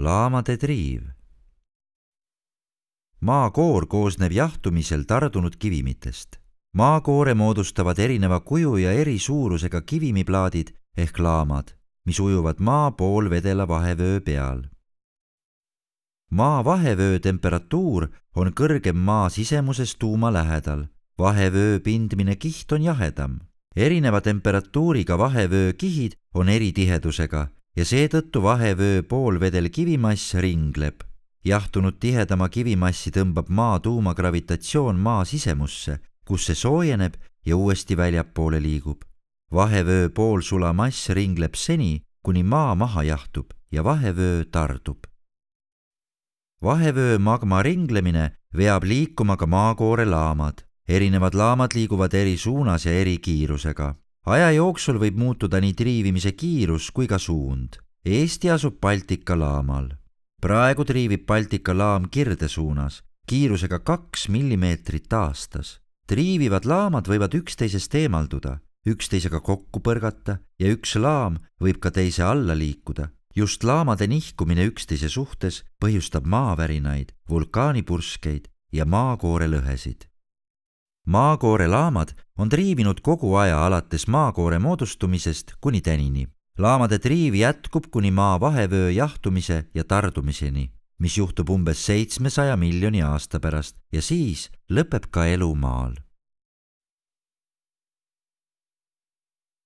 laamade triiv. Maakoor koosneb jahtumisel tardunud kivimitest. Maakoore moodustavad erineva kuju ja eri suurusega kivimiplaadid ehk laamad, mis ujuvad maa poolvedela vahevöö peal. Maa vahevöö temperatuur on kõrgem maa sisemuses tuuma lähedal. Vahevöö pindmine kiht on jahedam. Erineva temperatuuriga vahevöö kihid on eri tihedusega ja seetõttu vahevöö poolvedel kivimass ringleb. Jahtunud tihedama kivimassi tõmbab maa tuuma gravitatsioon maa sisemusse, kus see soojeneb ja uuesti väljapoole liigub. Vahevöö poolsula mass ringleb seni, kuni maa maha jahtub ja vahevöö tardub. Vahevöö magma ringlemine veab liikuma ka maakoore laamad. Erinevad laamad liiguvad eri suunas ja eri kiirusega. Aja jooksul võib muutuda nii triivimise kiirus kui ka suund. Eesti asub Baltika laamal. Praegu triivib Baltika laam kirde suunas, kiirusega 2 millimeetrit aastas. Triivivad laamad võivad üksteisest eemalduda, üksteisega kokku põrgata ja üks laam võib ka teise alla liikuda. Just laamade nihkumine üksteise suhtes põhjustab maavärinaid, vulkaanipurskeid ja maakoore lõhesid. Maakoore laamad on triivinud kogu aja alates maakoore moodustumisest kuni tänini. Laamade triiv jätkub kuni maa vahevöö jahtumise ja tardumiseni, mis juhtub umbes 700 miljoni aasta pärast ja siis lõpeb ka elu maal.